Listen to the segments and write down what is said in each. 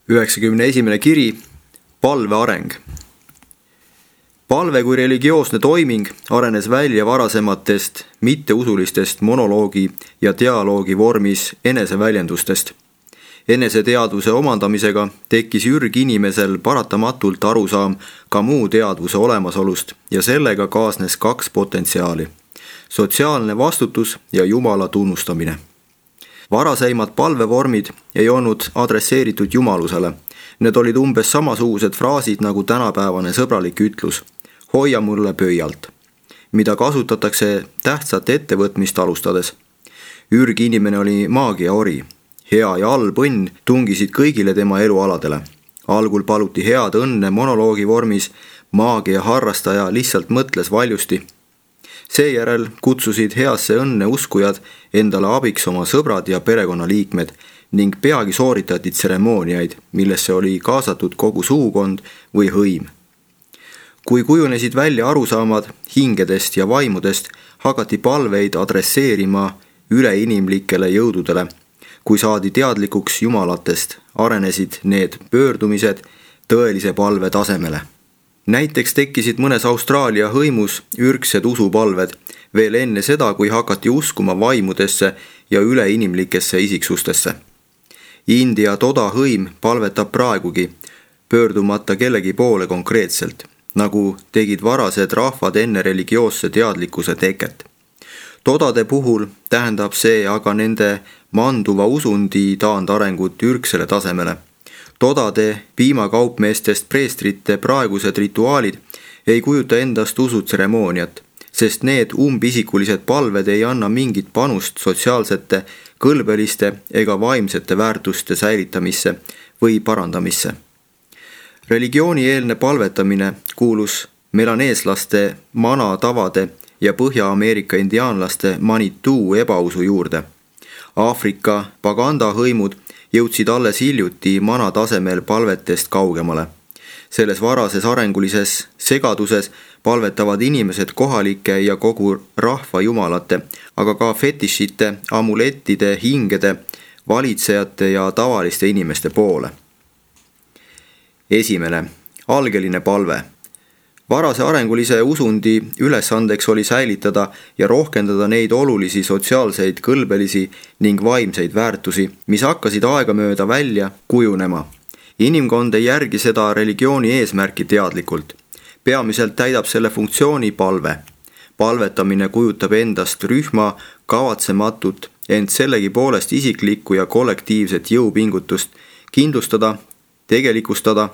91. kiri, palve areng. Palve kui religioosne toiming arenes välja varasematest mitteusulistest monoloogi ja dialoogi vormis eneseväljendustest. Eneseteadvuse omandamisega tekkis ürginimesel paratamatult arusaam ka muu teadvuse olemasolust ja sellega kaasnes kaks potentsiaali: sotsiaalne vastutus ja Jumala tunnustamine. Varaseimad palvevormid ei olnud adresseeritud Jumalusele. Need olid umbes samasugused fraasid nagu tänapäevane sõbralik ütlus "hoia mulle pöialt", mida kasutatakse tähtsat ettevõtmist alustades. Ürginimene oli maagiaori. Hea ja halb õnn tungisid kõigile tema elualadele. Algul paluti head õnne monoloogi vormis, maagia harrastaja lihtsalt mõtles valjusti. Seejärel kutsusid heasse õnne uskujad endale abiks oma sõbrad ja perekonnaliikmed ning peagi sooritati tseremooniaid, millesse oli kaasatud kogu sugukond või hõim. Kui kujunesid välja arusaamad hingedest ja vaimudest, hakati palveid adresseerima üleinimlikele jõududele. Kui saadi teadlikuks jumalatest, arenesid need pöördumised tõelise palve tasemele. Näiteks tekkisid mõnes Austraalia hõimus ürgsed usupalved veel enne seda, kui hakati uskuma vaimudesse ja üleinimlikesse isiksustesse. India Toda hõim palvetab praegugi, pöördumata kellegi poole konkreetselt, nagu tegid varased rahvad enne religioosse teadlikkuse teket. Todade puhul tähendab see aga nende manduva usundi taandarengut ürgsele tasemele. Todade piimakaupmeestest preestrite praegused rituaalid ei kujuta endast usutseremooniat, sest need umbisikulised palved ei anna mingit panust sotsiaalsete, kõlbeliste ega vaimsete väärtuste säilitamisse või parandamisse. Religioonieelne palvetamine kuulus melaneeslaste manatavade ja Põhja-Ameerika indiaanlaste Manituu ebausu juurde. Aafrika pagandahõimud jõudsid alles hiljuti manatasemel palvetest kaugemale. Selles varases arengulises segaduses palvetavad inimesed kohalike ja kogu rahva jumalate, aga ka fetišite, amulettide, hingede, valitsejate ja tavaliste inimeste poole. 1. Algeline palve. Varase arengulise usundi ülesandeks oli säilitada ja rohkendada neid olulisi sotsiaalseid, kõlbelisi ning vaimseid väärtusi, mis hakkasid aegamööda välja kujunema. Inimkond ei järgi seda religiooni eesmärki teadlikult. Peamiselt täidab selle funktsiooni palve. Palvetamine kujutab endast rühma kavatsematut, ent sellegipoolest isiklikku ja kollektiivset jõupingutust kindlustada, tegelikustada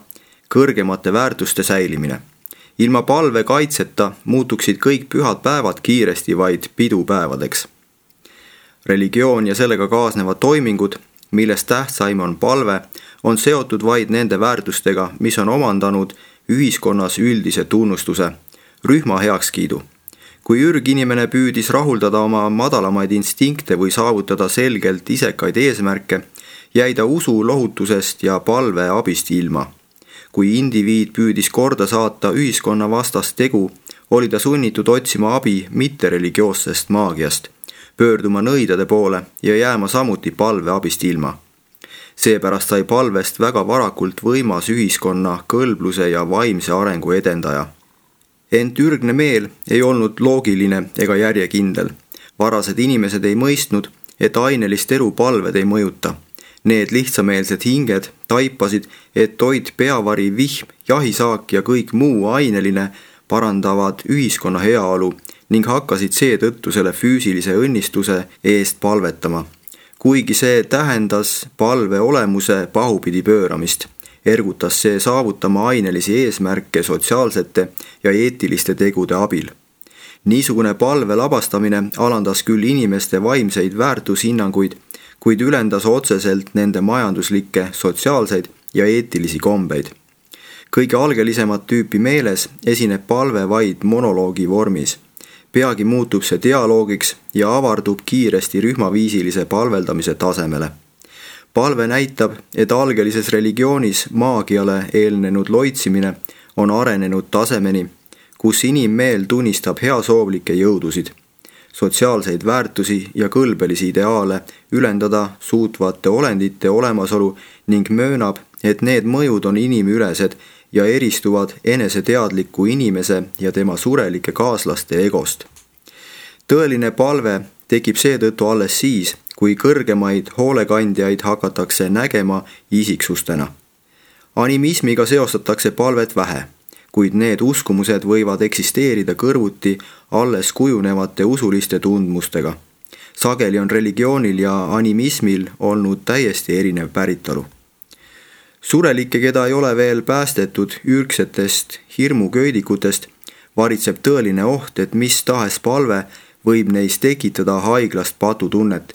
kõrgemate väärtuste säilimine. Ilma palve kaitseta muutuksid kõik pühad päevad kiiresti vaid pidupäevadeks. Religioon ja sellega kaasnevad toimingud, millest tähtsaim on palve, on seotud vaid nende väärtustega, mis on omandanud ühiskonnas üldise tunnustuse, rühma heakskiidu. Kui ürginimene püüdis rahuldada oma madalamaid instinkte või saavutada selgelt isekaid eesmärke, jäi ta usu lohutusest ja palve abist ilma. Kui indiviid püüdis korda saata ühiskonna vastast tegu, oli ta sunnitud otsima abi mittereligioossest maagiast, pöörduma nõidade poole ja jääma samuti palve abist ilma. Seepärast sai palvest väga varakult võimas ühiskonna kõlbluse ja vaimse arengu edendaja. Ent ürgne meel ei olnud loogiline ega järjekindel. Varased inimesed ei mõistnud, et ainelist elu palved ei mõjuta. Need lihtsameelsed hinged taipasid, et toit, peavari, vihm, jahisaak ja kõik muu aineline parandavad ühiskonna heaolu ning hakkasid seetõttu selle füüsilise õnnistuse eest palvetama. Kuigi see tähendas palve olemuse pahupidi pööramist, ergutas see saavutama ainelisi eesmärke sotsiaalsete ja eetiliste tegude abil. Niisugune palve labastamine alandas küll inimeste vaimseid väärtushinnanguid, kuid ülendas otseselt nende majanduslikke, sotsiaalseid ja eetilisi kombeid. Kõige algelisemat tüüpi meeles esineb palve vaid monoloogi vormis. Peagi muutub see dialoogiks ja avardub kiiresti rühmaviisilise palveldamise tasemele. Palve näitab, et algelises religioonis maagiale eelnenud loitsimine on arenenud tasemeni, kus inimmeel tunnistab heasoovlikke jõudusid, sotsiaalseid väärtusi ja kõlbelisi ideaale ülendada suutvate olendite olemasolu ning möönab, et need mõjud on inimülesed ja eristuvad eneseteadliku inimese ja tema surelike kaaslaste egost. Tõeline palve tekib seetõttu alles siis, kui kõrgemaid hoolekandjaid hakatakse nägema isiksustena. Animismiga seostatakse palvet vähe, kuid need uskumused võivad eksisteerida kõrvuti alles kujunevate usuliste tundmustega. Sageli on religioonil ja animismil olnud täiesti erinev päritolu. Surelikke, keda ei ole veel päästetud ürgsetest hirmuköödikutest, varitseb tõeline oht, et mis tahes palve võib neis tekitada haiglast patutunnet,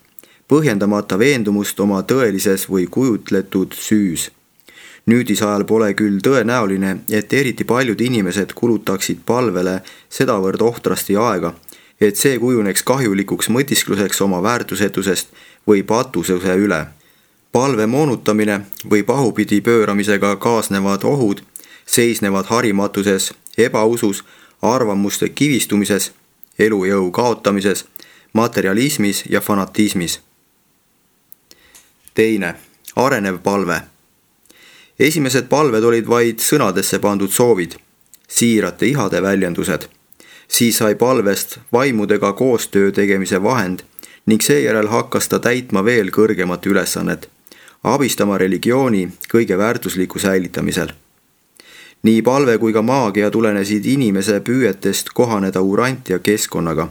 põhjendamata veendumust oma tõelises või kujutletud süüs. Nüüdisajal pole küll tõenäoline, et eriti paljud inimesed kulutaksid palvele sedavõrd ohtrasti aega, et see kujuneks kahjulikuks mõtiskluseks oma väärtusetusest või patususe üle. Palve moonutamine või pahupidi pööramisega kaasnevad ohud seisnevad harimatuses, ebausus, arvamuste kivistumises, elujõu kaotamises, materialismis ja fanatismis. Teine, arenev palve. Esimesed palved olid vaid sõnadesse pandud soovid, siirate ihade väljendused. Siis sai palvest vaimudega koostöö tegemise vahend ning seejärel hakkas ta täitma veel kõrgemat ülesannet, abistama religiooni kõige väärtusliku säilitamisel. Nii palve kui ka maagia tulenesid inimese püüetest kohaneda urantia keskkonnaga,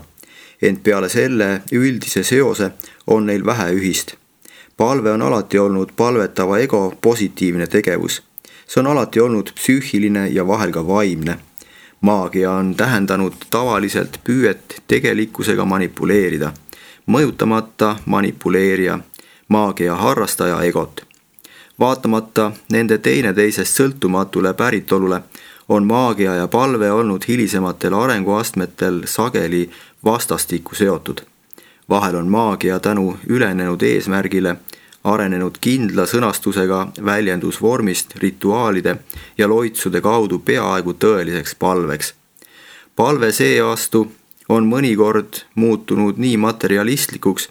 ent peale selle üldise seose on neil vähe ühist. Palve on alati olnud palvetava ego positiivne tegevus. See on alati olnud psüühiline ja vahel ka vaimne. Maagia on tähendanud tavaliselt püüet tegelikkusega manipuleerida, mõjutamata manipuleerija, maagia harrastaja egot. Vaatamata nende teineteisest sõltumatule päritolule on maagia ja palve olnud hilisematel arenguastmetel sageli vastastikku seotud. Vahel on maagia tänu ülenenud eesmärgile arenenud kindla sõnastusega väljendusvormist rituaalide ja loitsude kaudu peaaegu tõeliseks palveks. Palve seevastu on mõnikord muutunud nii materialistlikuks,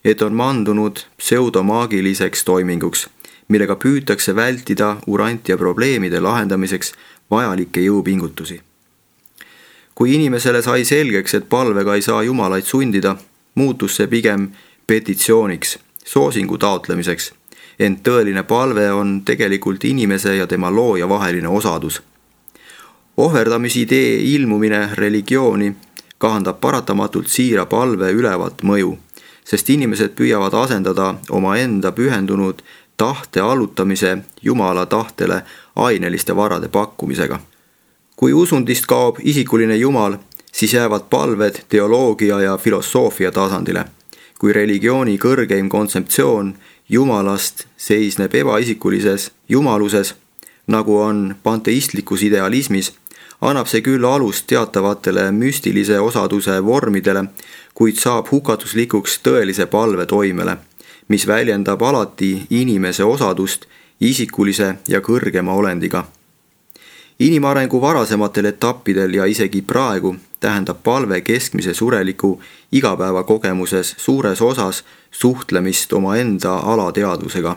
et on mandunud pseudomaagiliseks toiminguks, millega püütakse vältida urantia probleemide lahendamiseks vajalikke jõupingutusi. Kui inimesele sai selgeks, et palvega ei saa jumalaid sundida, muutus see pigem petitsiooniks, soosingu taotlemiseks, ent tõeline palve on tegelikult inimese ja tema looja vaheline osadus. Ohverdamisidee ilmumine religiooni kahandab paratamatult siira palve ülevat mõju, sest inimesed püüavad asendada omaenda pühendunud tahte allutamise Jumala tahtele aineliste varade pakkumisega. Kui usundist kaob isikuline Jumal, siis jäävad palved teoloogia ja filosoofia tasandile. Kui religiooni kõrgeim kontseptsioon Jumalast seisneb ebaisikulises jumaluses, nagu on panteistlikus idealismis, annab see küll alust teatavatele müstilise osaduse vormidele, kuid saab hukatuslikuks tõelise palve toimele, mis väljendab alati inimese osadust isikulise ja kõrgema olendiga. Inimarengu varasematel etappidel ja isegi praegu tähendab palve keskmise sureliku igapäevakogemuses suures osas suhtlemist omaenda alateadvusega.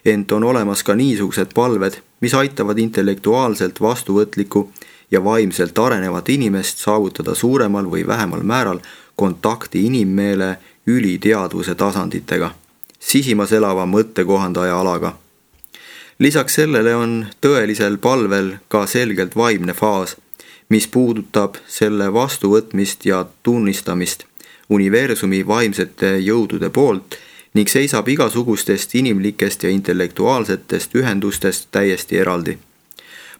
Ent on olemas ka niisugused palved, mis aitavad intellektuaalselt vastuvõtlikku ja vaimselt arenevat inimest saavutada suuremal või vähemal määral kontakti inimmeele üliteadvuse tasanditega, sisimas elava mõttekohandaja alaga. Lisaks sellele on tõelisel palvel ka selgelt vaimne faas, mis puudutab selle vastuvõtmist ja tunnistamist universumi vaimsete jõudude poolt ning seisab igasugustest inimlikest ja intellektuaalsetest ühendustest täiesti eraldi.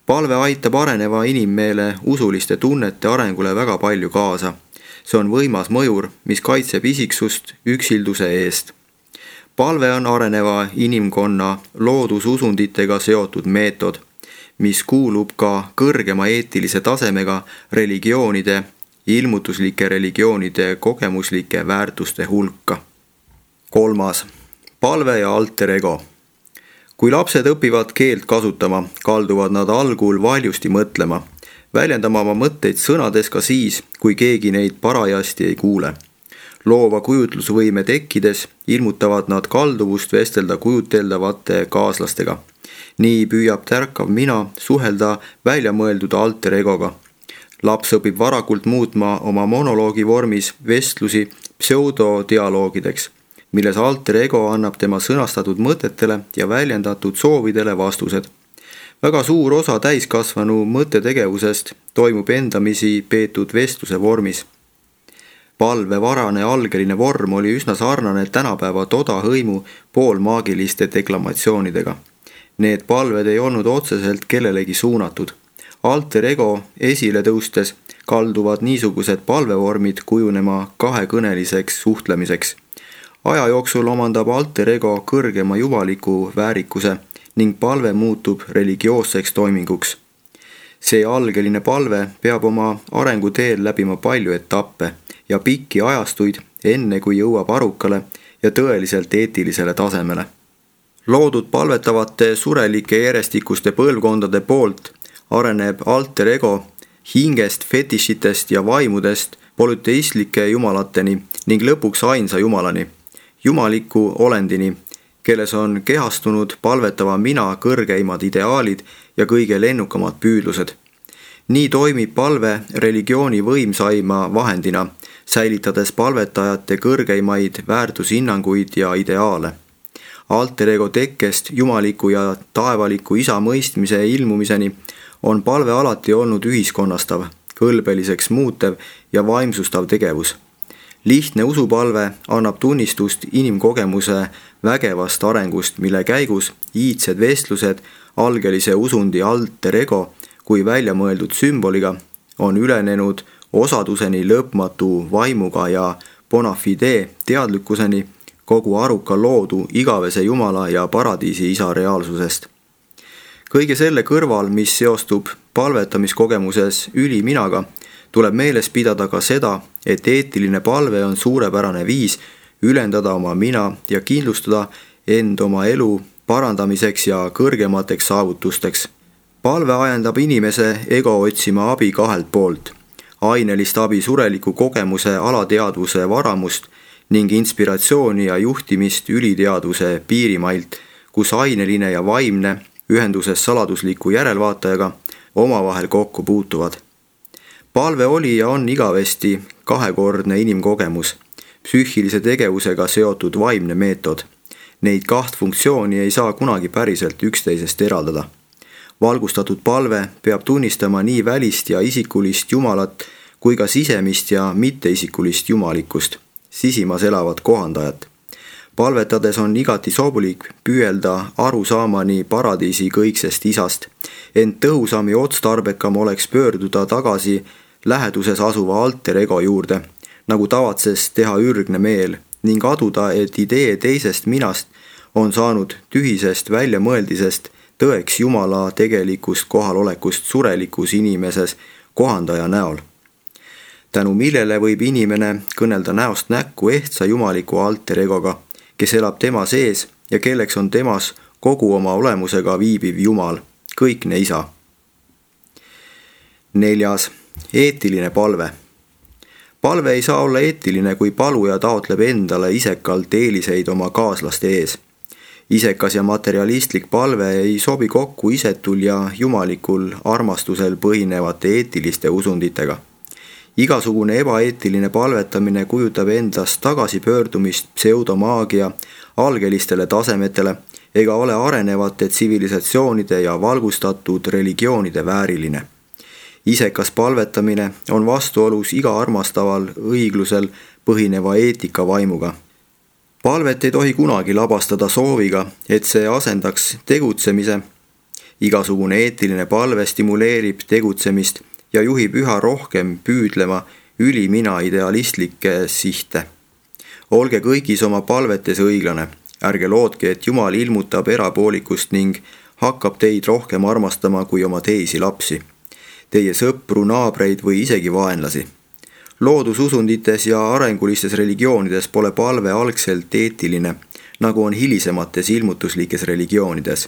Palve aitab areneva inimmeele usuliste tunnete arengule väga palju kaasa. See on võimas mõjur, mis kaitseb isiksust üksilduse eest. Palve on areneva inimkonna loodususunditega seotud meetod, mis kuulub ka kõrgema eetilise tasemega religioonide, ilmutuslike religioonide kogemuslike väärtuste hulka. 3. Palve ja alter ego. Kui lapsed õpivad keelt kasutama, kalduvad nad algul valjusti mõtlema, väljendama oma mõtteid sõnades ka siis, kui keegi neid parajasti ei kuule. Loova kujutlusvõime tekkides ilmutavad nad kalduvust vestelda kujuteldavate kaaslastega, nii püüab tärkav mina suhelda väljamõeldud alter egoga. Laps õpib varakult muutma oma monoloogi vormis vestlusi pseudodialoogideks, milles alter ego annab tema sõnastatud mõtetele ja väljendatud soovidele vastused. Väga suur osa täiskasvanu mõttetegevusest toimub endamisi peetud vestluse vormis. Palvevarane algeline vorm oli üsna sarnane tänapäeva todahõimu poolmaagiliste deklamatsioonidega. Need palved ei olnud otseselt kellelegi suunatud. Alter ego esile tõustes kalduvad niisugused palvevormid kujunema kahekõneliseks suhtlemiseks. Aja jooksul omandab alter ego kõrgema jumaliku väärikuse ning palve muutub religioosseks toiminguks. See algeline palve peab oma arenguteel läbima palju etappe ja pikki ajastuid, enne kui jõuab arukale ja tõeliselt eetilisele tasemele. Loodud palvetavate surelike järjestikuste põlvkondade poolt areneb alter ego hingest, fetišitest ja vaimudest polüteistlike jumalateni ning lõpuks ainsa jumalani, jumaliku olendini, kelles on kehastunud palvetava mina kõrgeimad ideaalid ja kõige lennukamad püüdlused. Nii toimib palve religiooni võimsaima vahendina, säilitades palvetajate kõrgeimaid väärtushinnanguid ja ideaale. Alter ego tekkest jumaliku ja taevaliku isa mõistmise ilmumiseni on palve alati olnud ühiskonnastav, kõlbeliseks muutev ja vaimsustav tegevus. Lihtne usupalve annab tunnistust inimkogemuse vägevast arengust, mille käigus iidsed vestlused algelise usundi alter ego kui väljamõeldud sümboliga on ülenenud osaduseni lõpmatu vaimuga ja bona fide teadlikkuseni kogu aruka loodu igavese jumala ja paradiisi isa reaalsusest. Kõige selle kõrval, mis seostub palvetamiskogemuses üliminaga, tuleb meeles pidada ka seda, et eetiline palve on suurepärane viis ülendada oma mina ja kindlustada end oma elu parandamiseks ja kõrgemateks saavutusteks. Palve ajendab inimese ego otsima abi kahelt poolt, ainelist abi sureliku kogemuse alateadvuse varamust ning inspiratsiooni ja juhtimist üliteadvuse piirimailt, kus aineline ja vaimne ühenduses saladusliku järelvaatajaga omavahel kokku puutuvad. Palve oli ja on igavesti kahekordne inimkogemus, psüühilise tegevusega seotud vaimne meetod. Neid kaht funktsiooni ei saa kunagi päriselt üksteisest eraldada. Valgustatud palve peab tunnistama nii välist ja isikulist jumalat kui ka sisemist ja mitteisikulist jumalikkust, sisimas elavat kohandajat. Palvetades on igati sobulik püüelda arusaamani paradiisi kõiksest isast, ent tõhusam ja otstarbekam oleks pöörduda tagasi läheduses asuva alter ego juurde, nagu tavatses teha ürgne meel, ning aduda, et idee teisest minast on saanud tühisest väljamõeldisest tõeks jumala tegelikust kohalolekust surelikus inimeses kohandaja näol. Tänu millele võib inimene kõnelda näost näkku ehtsa jumaliku alter egoga, kes elab tema sees ja kelleks on temas kogu oma olemusega viibiv Jumal, kõikne isa. 4. Eetiline palve. Palve ei saa olla eetiline, kui paluja taotleb endale isekalt eeliseid oma kaaslaste ees. Isekas ja materialistlik palve ei sobi kokku isetul ja jumalikul armastusel põhinevate eetiliste usunditega. Igasugune ebaeetiline palvetamine kujutab endast tagasipöördumist pseudomaagia algelistele tasemetele ega ole arenevate tsivilisatsioonide ja valgustatud religioonide vääriline. Isekas palvetamine on vastuolus iga armastaval õiglusel põhineva eetika vaimuga. Palvet ei tohi kunagi labastada sooviga, et see asendaks tegutsemise. Igasugune eetiline palve stimuleerib tegutsemist ja juhib üha rohkem püüdlema ülimina idealistlikke sihte. Olge kõigis oma palvetes õiglane, ärge lootke, et Jumal ilmutab erapoolikust ning hakkab teid rohkem armastama kui oma teisi lapsi, teie sõpru, naabreid või isegi vaenlasi. Loodususundites ja arengulistes religioonides pole palve algselt eetiline, nagu on hilisemates ilmutuslikes religioonides.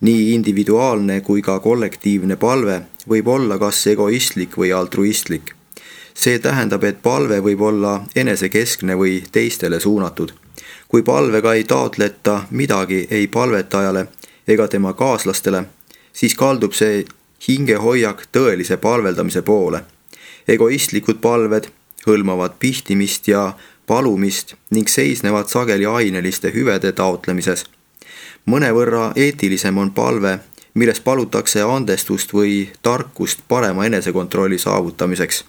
Nii individuaalne kui ka kollektiivne palve võib olla kas egoistlik või altruistlik. See tähendab, et palve võib olla enesekeskne või teistele suunatud. Kui palvega ei taotleta midagi ei palvetajale ega tema kaaslastele, siis kaldub see hingehoiak tõelise palveldamise poole. Egoistlikud palved hõlmavad pihtimist ja palumist ning seisnevad sageli aineliste hüvede taotlemises. Mõnevõrra eetilisem on palve, milles palutakse andestust või tarkust parema enesekontrolli saavutamiseks.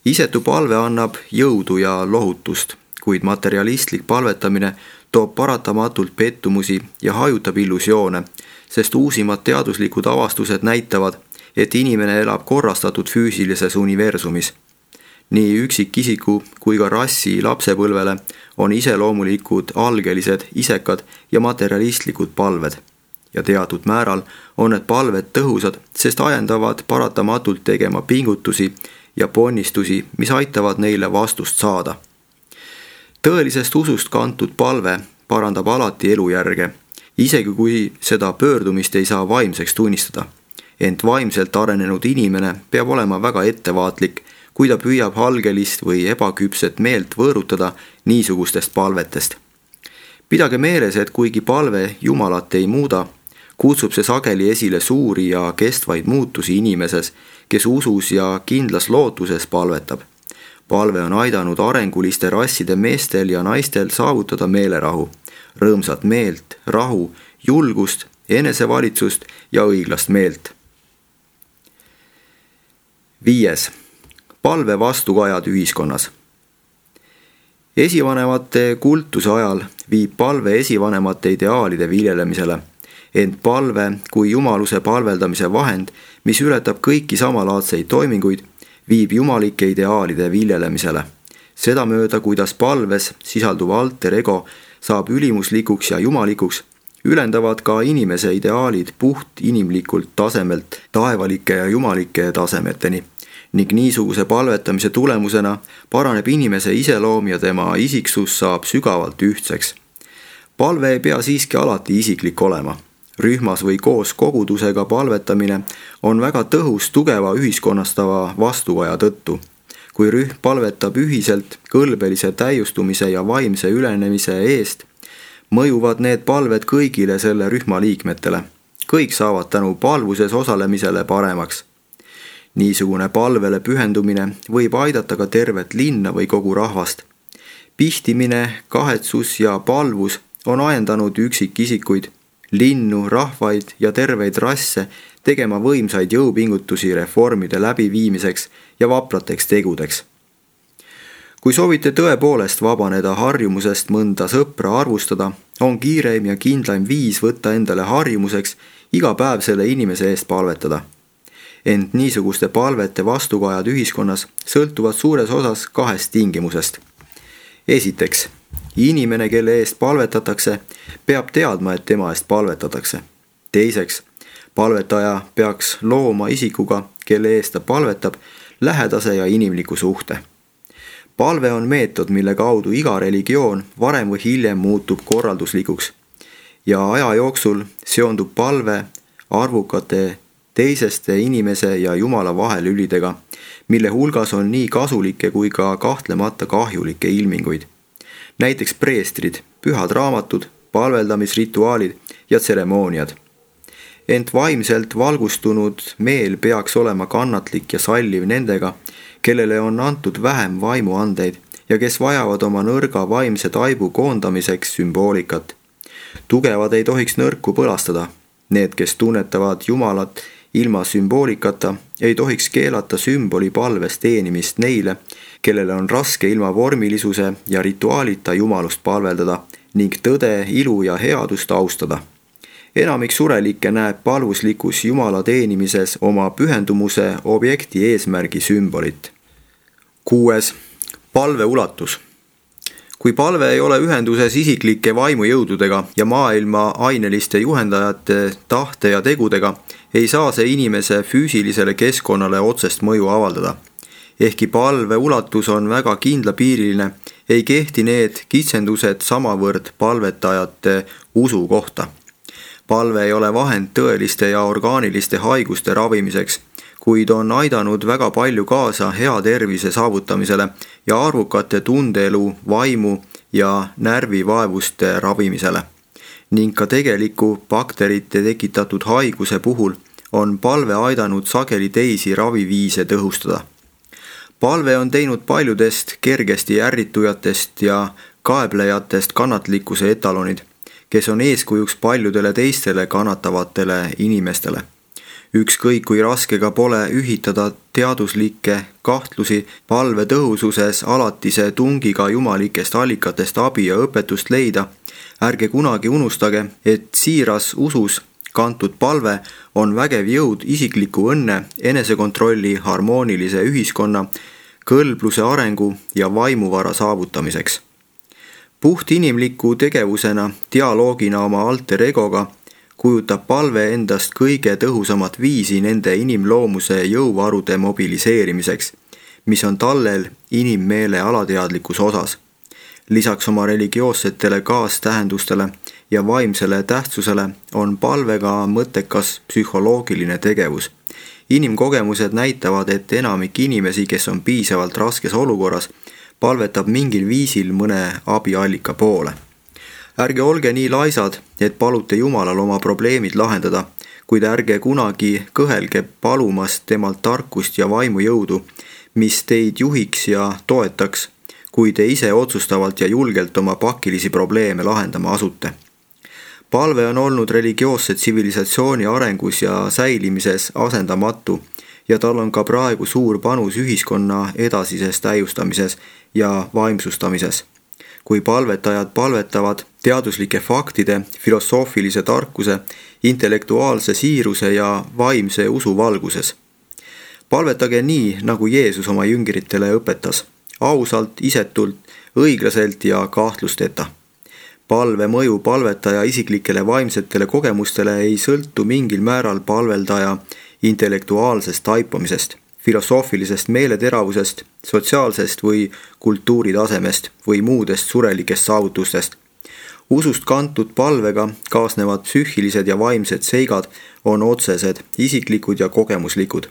Isetu palve annab jõudu ja lohutust, kuid materialistlik palvetamine toob paratamatult pettumusi ja hajutab illusioone, sest uusimad teaduslikud avastused näitavad, et inimene elab korrastatud füüsilises universumis. Nii üksikisiku kui ka rassi lapsepõlvele on iseloomulikud algelised, isekad ja materialistlikud palved. Ja teatud määral on need palved tõhusad, sest ajendavad paratamatult tegema pingutusi ja ponnistusi, mis aitavad neile vastust saada. Tõelisest usust kantud palve parandab alati elujärge, isegi kui seda pöördumist ei saa vaimseks tunnistada. Ent vaimselt arenenud inimene peab olema väga ettevaatlik, kui ta püüab algelist või ebaküpset meelt võõrutada niisugustest palvetest. Pidage meeles, et kuigi palve Jumalat ei muuda, kutsub see sageli esile suuri ja kestvaid muutusi inimeses, kes usus ja kindlas lootuses palvetab. Palve on aidanud arenguliste rasside meestel ja naistel saavutada meelerahu, rõõmsat meelt, rahu, julgust, enesevalitsust ja õiglast meelt. 5. Palve vastukajad ühiskonnas. Esivanemate kultuse ajal viib palve esivanemate ideaalide viljelemisele, ent palve kui jumaluse palveldamise vahend, mis ületab kõiki samalaadseid toiminguid, viib jumalike ideaalide viljelemisele. Sedamööda, kuidas palves sisalduv alter ego saab ülimuslikuks ja jumalikuks, ülendavad ka inimese ideaalid puht inimlikult tasemelt taevalike ja jumalike tasemeteni. Ning niisuguse palvetamise tulemusena paraneb inimese iseloom ja tema isiksus saab sügavalt ühtseks. Palve ei pea siiski alati isiklik olema. Rühmas või koos kogudusega palvetamine on väga tõhus tugeva ühiskonnastava vastukaja tõttu. Kui rühm palvetab ühiselt kõlbelise täiustumise ja vaimse ülenemise eest, mõjuvad need palved kõigile selle rühma liikmetele. Kõik saavad tänu palvuses osalemisele paremaks. Niisugune palvele pühendumine võib aidata ka tervet linna või kogu rahvast. Pihtimine, kahetsus ja palvus on ajendanud üksikisikuid, linnu, rahvaid ja terveid rasse tegema võimsaid jõupingutusi reformide läbiviimiseks ja vaprateks tegudeks. Kui soovite tõepoolest vabaneda harjumusest mõnda sõpra arvustada, on kiireim ja kindlaim viis võtta endale harjumuseks iga päev selle inimese eest palvetada. Ent niisuguste palvete vastukajad ühiskonnas sõltuvad suures osas 2 tingimusest. Esiteks, inimene, kelle eest palvetatakse, peab teadma, et tema eest palvetatakse. Teiseks, palvetaja peaks looma isikuga, kelle eest ta palvetab, lähedase ja inimliku suhte. Palve on meetod, mille kaudu iga religioon varem või hiljem muutub korralduslikuks ja aja jooksul seondub palve arvukate teiseste inimese ja Jumala vahelülidega, mille hulgas on nii kasulikke kui ka kahtlemata kahjulikke ilminguid. Näiteks preestrid, pühad raamatud, palveldamisrituaalid ja tseremooniad. Ent vaimselt valgustunud meel peaks olema kannatlik ja salliv nendega, kellele on antud vähem vaimuandeid ja kes vajavad oma nõrga vaimse taibu koondamiseks sümboolikat. Tugevad ei tohiks nõrku põlastada. Need, kes tunnetavad Jumalat ilma sümboolikata, ei tohiks keelata sümboli palves teenimist neile, kellele on raske ilma vormilisuse ja rituaalita Jumalust palveldada ning tõde, ilu ja headust austada. Enamik surelikke näeb palvuslikus Jumala teenimises oma pühendumuse objekti eesmärgi sümbolit. 6. Palve ulatus. Kui palve ei ole ühenduses isiklike vaimujõududega ja maailma aineliste juhendajate tahte ja tegudega, ei saa see inimese füüsilisele keskkonnale otsest mõju avaldada. Ehkki palve ulatus on väga kindlapiiriline, ei kehti need kitsendused samavõrd palvetajate usu kohta. Palve ei ole vahend tõeliste ja orgaaniliste haiguste ravimiseks, kuid on aidanud väga palju kaasa hea tervise saavutamisele ja arvukate tundeelu, vaimu ja närvivaevuste ravimisele. ning ka tegeliku bakterite tekitatud haiguse puhul on palve aidanud sageli teisi raviviise tõhustada. Palve on teinud paljudest kergesti ärritujatest ja kaeblejatest kannatlikkuse etalonid, kes on eeskujuks paljudele teistele kannatavatele inimestele. Ükskõik kui raske ka pole ühitada teaduslikke kahtlusi palve tõhususes alatise tungiga jumalikest allikatest abi ja õpetust leida, ärge kunagi unustage, et siiras usus kantud palve on vägev jõud isikliku õnne, enesekontrolli, harmoonilise ühiskonna, kõlbluse arengu ja vaimuvara saavutamiseks. Puht inimliku tegevusena, dialoogina oma alter egoga, kujutab palve endast kõige tõhusamat viisi nende inimloomuse jõuvarude mobiliseerimiseks, mis on tallel inimmeele alateadlikus osas. Lisaks oma religioossetele kaastähendustele ja vaimsele tähtsusele on palvega mõttekas psühholoogiline tegevus. Inimkogemused näitavad, et enamik inimesi, kes on piisavalt raskes olukorras, palvetab mingil viisil mõne abiallika poole. Ärge olge nii laisad, et palute Jumalal oma probleemid lahendada, kuid ärge kunagi kõhelge palumast temalt tarkust ja vaimujõudu, mis teid juhiks ja toetaks, kui te ise otsustavalt ja julgelt oma pakilisi probleeme lahendama asute. Palve on olnud religioosse tsivilisatsiooni arengus ja säilimises asendamatu ja tal on ka praegu suur panus ühiskonna edasises täiustamises ja vaimsustamises. Kui palvetajad palvetavad teaduslike faktide, filosoofilise tarkuse, intellektuaalse siiruse ja vaimse usu valguses. Palvetage nii, nagu Jeesus oma jüngritele õpetas, ausalt, isetult, õiglaselt ja kahtlusteta. Palve mõju palvetaja isiklikele vaimsetele kogemustele ei sõltu mingil määral palveldaja intellektuaalsest taipamisest, filosoofilisest meeleteravusest, sotsiaalsest või kultuuritasemest või muudest surelikest saavutustest. Usust kantud palvega kaasnevad psüühilised ja vaimsed seigad on otsesed, isiklikud ja kogemuslikud.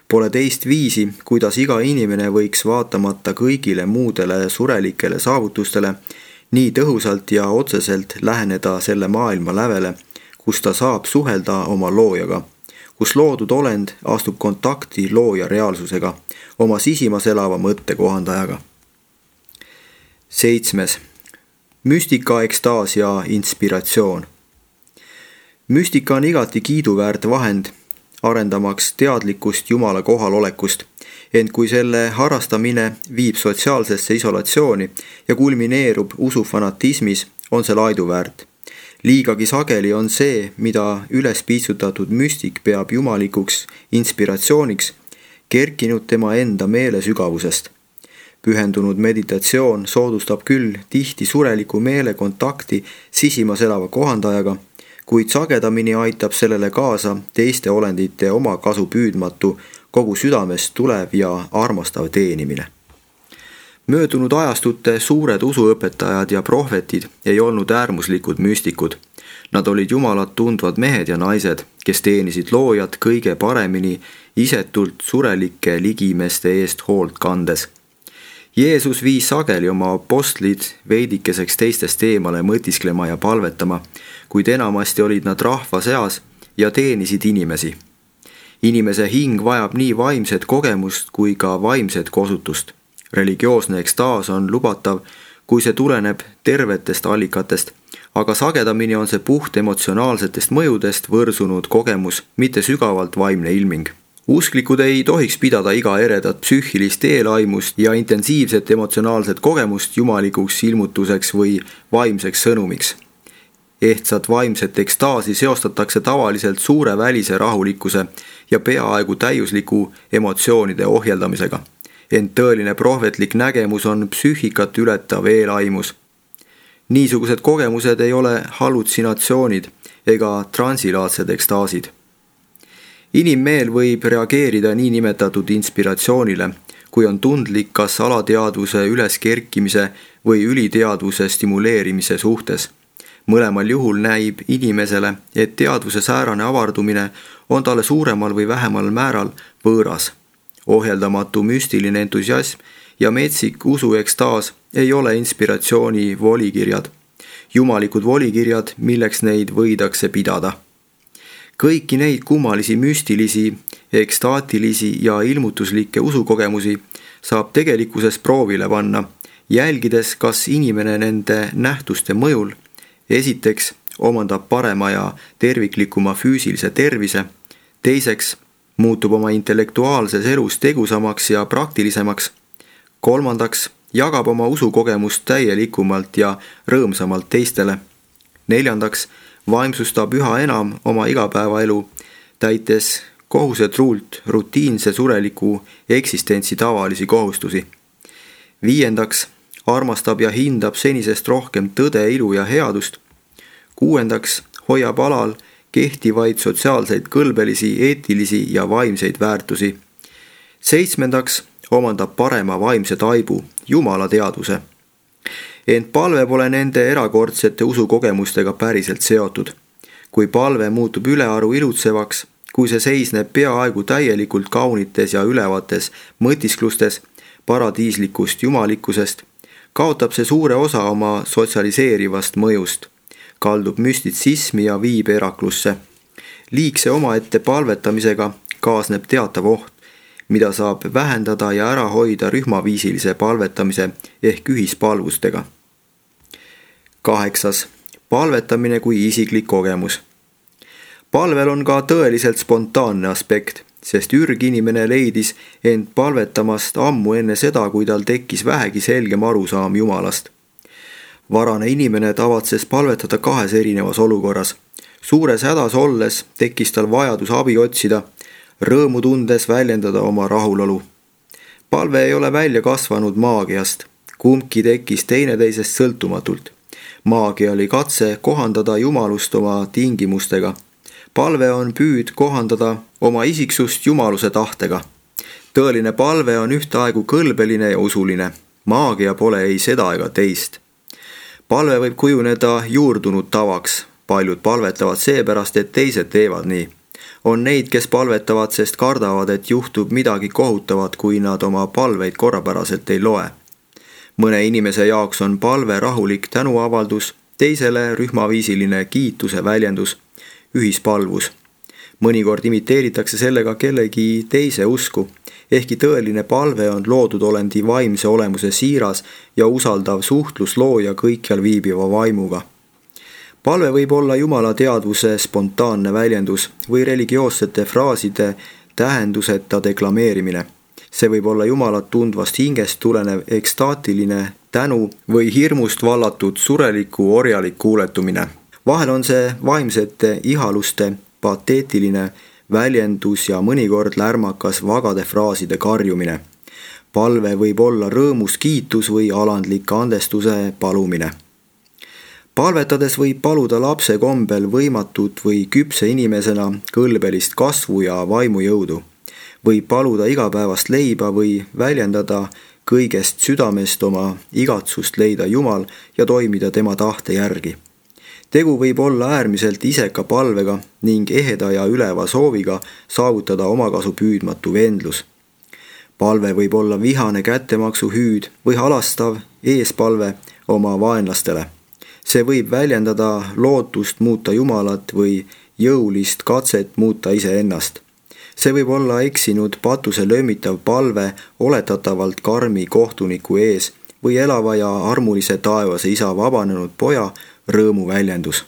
Pole teist viisi, kuidas iga inimene võiks vaatamata kõigile muudele surelikele saavutustele nii tõhusalt ja otseselt läheneda selle maailma lävele, kus ta saab suhelda oma loojaga, kus loodud olend astub kontakti looja reaalsusega, oma sisimas elava mõttekohandajaga. 7. Müstika, ekstaas ja inspiratsioon. Müstika on igati kiiduväärt vahend, arendamaks teadlikkust Jumala kohalolekust, ent kui selle harrastamine viib sotsiaalsesse isolatsiooni ja kulmineerub usufanatismis, on see laiduväärt. Liigagi sageli on see, mida üles piitsutatud müstik peab jumalikuks inspiratsiooniks, kerkinud tema enda meele sügavusest. Pühendunud meditatsioon soodustab küll tihti sureliku meele kontakti sisimas elava kohandajaga, kuid sagedamini aitab sellele kaasa teiste olendite oma kasu püüdmatu, kogu südamest tulev ja armastav teenimine. Möödunud ajastute suured usuõpetajad ja prohvetid ei olnud äärmuslikud müstikud. Nad olid Jumalat tundvad mehed ja naised, kes teenisid loojat kõige paremini isetult surelike ligimeste eest hoolt kandes. Jeesus viis sageli oma apostlid veidikeseks teistest eemale mõtisklema ja palvetama, kuid enamasti olid nad rahva seas ja teenisid inimesi. Inimese hing vajab nii vaimset kogemust kui ka vaimset kosutust. Religioosne ekstaas on lubatav, kui see tuleneb tervetest allikatest, aga sagedamini on see puht emotsionaalsetest mõjudest võrsunud kogemus, mitte sügavalt vaimne ilming. Usklikud ei tohiks pidada iga eredat psüühilist eelaimust ja intensiivset emotsionaalset kogemust jumalikuks ilmutuseks või vaimseks sõnumiks. Ehtsat vaimset ekstaasi seostatakse tavaliselt suure välise rahulikkuse ja peaaegu täiusliku emotsioonide ohjeldamisega. Ent tõeline prohvetlik nägemus on psüühikat ületav eelaimus. Niisugused kogemused ei ole hallutsinatsioonid ega transilaatsed ekstaasid. Inimmeel võib reageerida niinimetatud inspiratsioonile, kui on tundlik kas alateadvuse üleskerkimise või üliteadvuse stimuleerimise suhtes. Mõlemal juhul näib inimesele, et teadvuse säärane avardumine on talle suuremal või vähemal määral võõras. Ohjeldamatu müstiline entusiasm ja metsik usuekstaas ei ole inspiratsiooni volikirjad. jumalikud volikirjad, milleks neid võidakse pidada. Kõiki neid kummalisi müstilisi, ekstaatilisi ja ilmutuslikke usukogemusi saab tegelikkuses proovile panna, jälgides, kas inimene nende nähtuste mõjul esiteks omandab parema ja terviklikuma füüsilise tervise, teiseks muutub oma intellektuaalses elus tegusamaks ja praktilisemaks, kolmandaks jagab oma usukogemust täielikumalt ja rõõmsamalt teistele, neljandaks vaimsustab üha enam oma igapäevaelu, täites kohusetruult rutiinse sureliku eksistentsi tavalisi kohustusi. Viiendaks armastab ja hindab senisest rohkem tõde, ilu ja headust. Kuuendaks hoiab alal kehtivaid sotsiaalseid, kõlbelisi, eetilisi ja vaimseid väärtusi. Seitsmendaks omandab parema vaimse taibu, Jumala teadvuse. Ent palve pole nende erakordsete usukogemustega päriselt seotud. Kui palve muutub ülearu ilutsevaks, kui see seisneb peaaegu täielikult kaunites ja ülevates mõtisklustes paradiislikust jumalikkusest, kaotab see suure osa oma sotsialiseerivast mõjust, kaldub müstitsismi ja viib eraklusse. Liigse omaette palvetamisega kaasneb teatav oht, mida saab vähendada ja ära hoida rühmaviisilise palvetamise ehk ühispalvustega. 8. Palvetamine kui isiklik kogemus. Palvel on ka tõeliselt spontaanne aspekt, sest ürginimene leidis end palvetamast ammu enne seda, kui tal tekkis vähegi selgem arusaam Jumalast. Varane inimene tavatses palvetada 2 erinevas olukorras. Suures hädas olles tekkis tal vajadus abi otsida, rõõmu tundes väljendada oma rahulolu. Palve ei ole välja kasvanud maagiast, kumbki tekkis teineteisest sõltumatult. Maagia oli katse kohandada jumalust oma tingimustega. Palve on püüd kohandada oma isiksust jumaluse tahtega. Tõeline palve on ühtaegu kõlbeline ja usuline. Maagia pole ei seda ega teist. Palve võib kujuneda juurdunud tavaks. Paljud palvetavad seepärast, et teised teevad nii. On neid, kes palvetavad, sest kardavad, et juhtub midagi kohutavat, kui nad oma palveid korrapäraselt ei loe. Mõne inimese jaoks on palve rahulik tänuavaldus, teisele rühmaviisiline kiituse väljendus, ühispalvus. Mõnikord imiteeritakse sellega kellegi teise usku, ehkki tõeline palve on loodud olendi vaimse olemuse siiras ja usaldav suhtlus looja kõikjal viibiva vaimuga. Palve võib olla Jumala teadvuse spontaanne väljendus või religioossete fraaside tähenduseta deklameerimine. See võib olla Jumalat tundvast hingest tulenev ekstaatiline tänu või hirmust vallatud sureliku orjalik kuuletumine. Vahel on see vaimsete ihaluste pateetiline väljendus ja mõnikord lärmakas vagade fraaside karjumine. Palve võib olla rõõmus kiitus või alandlik andestuse palumine. Palvetades võib paluda lapse kombel võimatut või küpse inimesena kõlbelist kasvu ja vaimujõudu. Võib paluda igapäevast leiba või väljendada kõigest südamest oma igatsust leida Jumal ja toimida tema tahte järgi. Tegu võib olla äärmiselt iseka palvega ning eheda ja üleva sooviga saavutada omakasu püüdmatu vendlus. Palve võib olla vihane kättemaksu hüüd või halastav eespalve oma vaenlastele. See võib väljendada lootust muuta Jumalat või jõulist katset muuta iseennast. See võib olla eksinud patuse löömitav palve oletatavalt karmi kohtuniku ees või elava ja armulise taevase isa vabanenud poja rõõmu väljendus.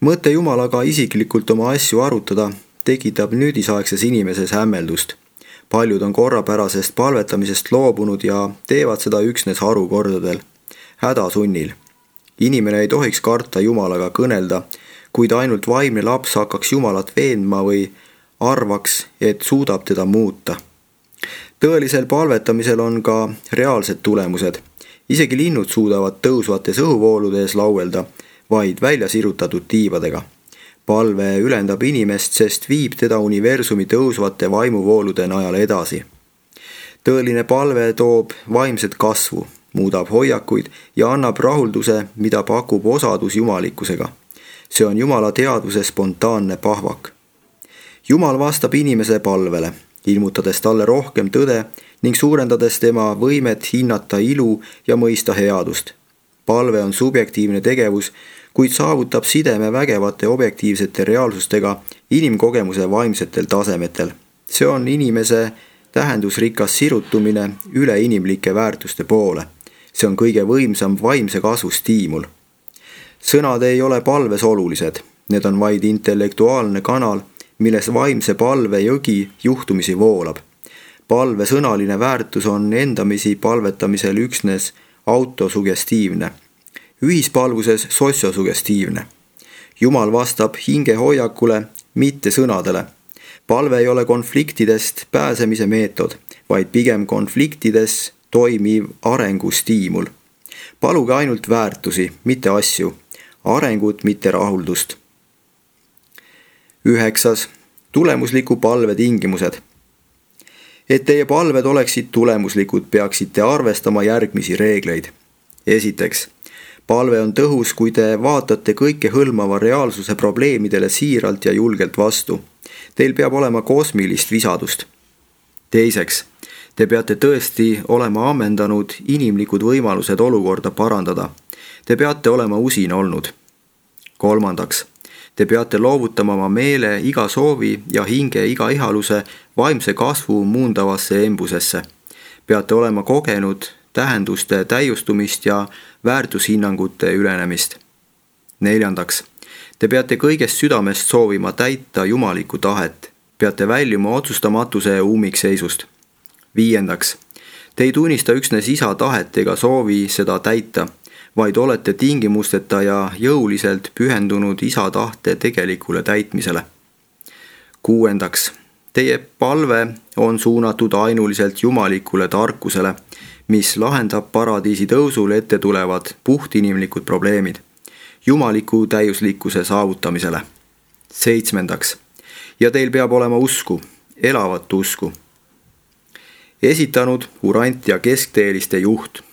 Mõte Jumalaga isiklikult oma asju arutada tekitab nüüdisaegses inimeses hämmeldust. Paljud on korrapärasest palvetamisest loobunud ja teevad seda üksnes harukordadel, hädasunnil. Inimene ei tohiks karta Jumalaga kõnelda, kuid ainult vaimne laps hakkaks Jumalat veenma või arvaks, et suudab teda muuta. Tõelisel palvetamisel on ka reaalsed tulemused. Isegi linnud suudavad tõusvates õhuvooludes lauelda, vaid välja sirutatud tiivadega. Palve ülendab inimest, sest viib teda universumi tõusvate vaimuvoolude najal edasi. Tõeline palve toob vaimset kasvu, muudab hoiakuid ja annab rahulduse, mida pakub osadus jumalikkusega. See on Jumala teadvuse spontaanne pahvak. Jumal vastab inimese palvele, ilmutades talle rohkem tõde ning suurendades tema võimet hinnata ilu ja mõista headust. palve on subjektiivne tegevus, kuid saavutab sideme vägevate objektiivsete reaalsustega inimkogemuse vaimsetel tasemetel. See on inimese tähendusrikas sirutumine üleinimlike väärtuste poole. See on kõige võimsam vaimse kasvu stiimul. Sõnad ei ole palves olulised. Need on vaid intellektuaalne kanal, milles vaimse palve jõgi juhtumisi voolab. Palve sõnaline väärtus on endamisi palvetamisel üksnes autosugestiivne, ühispalvuses sotsiosugestiivne. Jumal vastab hingehoiakule, mitte sõnadele. Palve ei ole konfliktidest pääsemise meetod, vaid pigem konfliktides toimiv arengustiimul. Paluge ainult väärtusi, mitte asju, arengut, mitte rahuldust. 9. Tulemusliku palve tingimused. Et teie palved oleksid tulemuslikud, peaksite arvestama järgmisi reegleid. Esiteks, palve on tõhus, kui te vaatate kõike hõlmava reaalsuse probleemidele siiralt ja julgelt vastu. Teil peab olema kosmilist visadust. Teiseks, te peate tõesti olema ammendanud inimlikud võimalused olukorda parandada. Te peate olema usin olnud. Kolmandaks, te peate loovutama oma meele iga soovi ja hinge iga ihaluse vaimse kasvu muundavasse embusesse. Peate olema kogenud tähenduste täiustumist ja väärtushinnangute ülenemist. Neljandaks, te peate kõigest südamest soovima täita jumalikku tahet. Peate väljuma otsustamatuse ummikseisust. Viiendaks, te ei tunnista üksnes isa tahet ega soovi seda täita, vaid olete tingimusteta ja jõuliselt pühendunud isa tahte tegelikule täitmisele. Kuuendaks, teie palve on suunatud ainuliselt jumalikule tarkusele, mis lahendab paradiisi tõusul ette tulevad puhtinimlikud probleemid, jumaliku täiuslikkuse saavutamisele. 7. Ja teil peab olema usku, elavat usku. Esitanud urant ja keskteeliste juht.